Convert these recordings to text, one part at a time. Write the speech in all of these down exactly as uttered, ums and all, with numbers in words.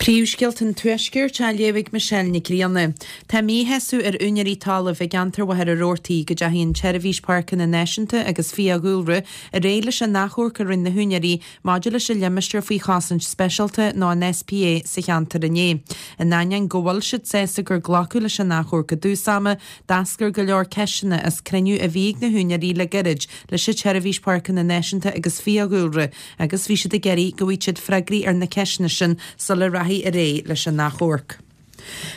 Príomhscéalta an Tuaiscirt á léamh ag Michelle Nic Grianna. Tá míshásamh ar úinéirí talaimh i gceantar Mhachaire Rabhartaigh go dteachaigh an tSeirbhís Páirceanna Náisiúnta agus Fiadhúlra ar aghaidh leis an achomharc a rinne na húinéirí maidir leis an limistéar faoi chosaint speisialta nó an SPA sa cheantar inné. In ainneoin go bhfuil siad sásta gur glacadh leis an achomharc i dtús ama, d'eascair go leor ceisteanna as cruinniú a bhí ag na húinéirí le gairid leis an tSeirbhís Páirceanna Náisiúnta agus Fiadhúlra agus bhí siad ag iarraidh go bhfaigheadh siad freagraí ar na ceisteanna sin sula rachaí ar aghaidh leis an achomharc.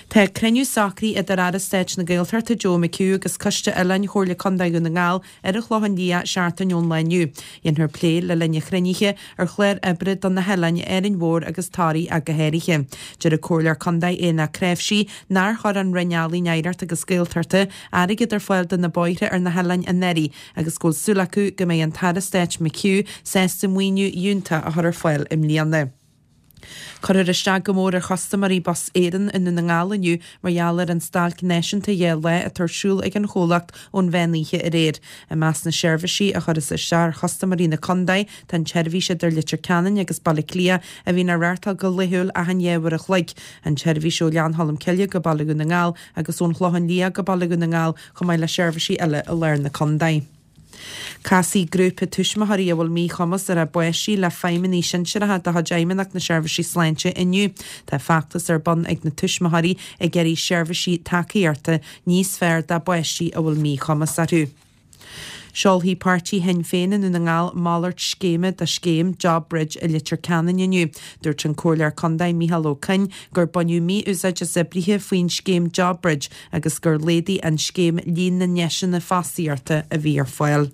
Tá cruinniú socraithe idir Aire Stáit na Gaeltachta Joe McHugh agus Coiste Oileáin Chomhairle Contae Dhún na nGall ar an Chlochán Liath seachtain ón lá inniu. Dhéanfar plé le linn an chruinnithe ar chlár oibre do na hoileáin Árainn Mhór agus Toraigh ach go háirithe. Deir an Comhairleoir Contae Éanna Cnáimhsí nár chuir an Roinn Ealaíon Oidhreachta agus Gaeltachta airgead ar fáil do na bóithre ar na hoileáin anuraidh agus go bhfuil súil acu go mbeidh an tAire Stáit McHugh sásta maoiniú fhiúntach a chur ar fáil i mbliana. Cuirfear isteach go mór ar chustaiméirí Bus Éireann i nDún na nGall inniu mar gheall ar an stailc náisiúnta dhá lá atá ar siúl ag an chomhlacht ón mheán oíche aréir. I measc na seirbhísí a chuirfeas isteach ar chustaiméirí na contae tá an tseirbhís idir Leitir Ceanainn agus Baile Átha Cliath a bhíonn á reáchtáil go laethúil achan dhá uair a chloig, an tseirbhís ó Ghleann Cholm Cille go Baile Dhún na nGall agus ón Chlochán Liath go Baile Dhún na nGall chomh maith le seirbhísí eile i lár na contae. Casfaidh grúpa tuismitheoirí a bhfuil míchumas ar a bpáistí le feidhmeannaigh sinsearacha de chuid Fheidhmeannacht na Seirbhísí Sláinte inniu. Tá feachtas ar bun ag na tuismitheoirí ag iarraidh seirbhísí tacaíochta níos fearr dá bpáistí a bhfuil míchumas orthu. Seolfaidh páirtí Shinn Féin i nDún na nGall malairt scéime do scéim Job Bridge i Leitir Ceanainn inniu. Dúirt an Comhairleoir Contae Micheál Ó Coinn gur baineadh mí-úsáid as oibrithe faoin scéim Job Bridge agus gur laghdaigh an scéim líon na ndeiseanna fostaíochta a bhí ar fáil.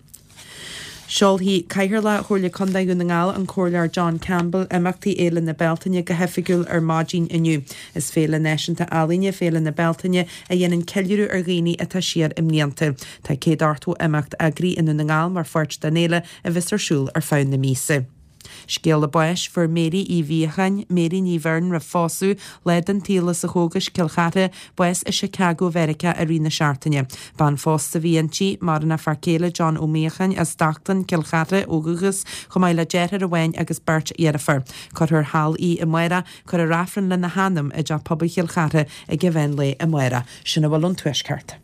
Seolfaidh Cathaoirleach Chomhairle Contae Dhún na nGall an Comhairleoir John Campbell imeachtaí Fhéile na Bealtaine go hoifigiúil ar maidin inniu. Is féile náisiúnta ealaíne Féile na Bealtaine a dhéanann ceiliúradh ar dhaoine atá siar i mblianta. Tá céad ochtó imeacht eagraithe i nDún na nGall mar pháirt den fhéile a bheas ar siúl ar feadh na míosa. Scéala báis fuair Mary Uí Mhíocháin, Mary Ní Bheirn roimh phósadh, lá den tsaol as an Chógais, Cill Chartha, bás i Chicago Mheiriceá i rith na seachtaine. Bean phósta a bhí inti, maireann a fear céile John Ó Míocháin as Stockton, Cill Chartha ó dhúchas, chomh maith le deartháir amháin agus beirt dheirfiúr. Cuirfear thall í amárach, cuirfear Aifreann lena hanam i dteach pobail Chill Chartha ag an mheán lae amárach. Sin a bhfuil ón Tuaisceart.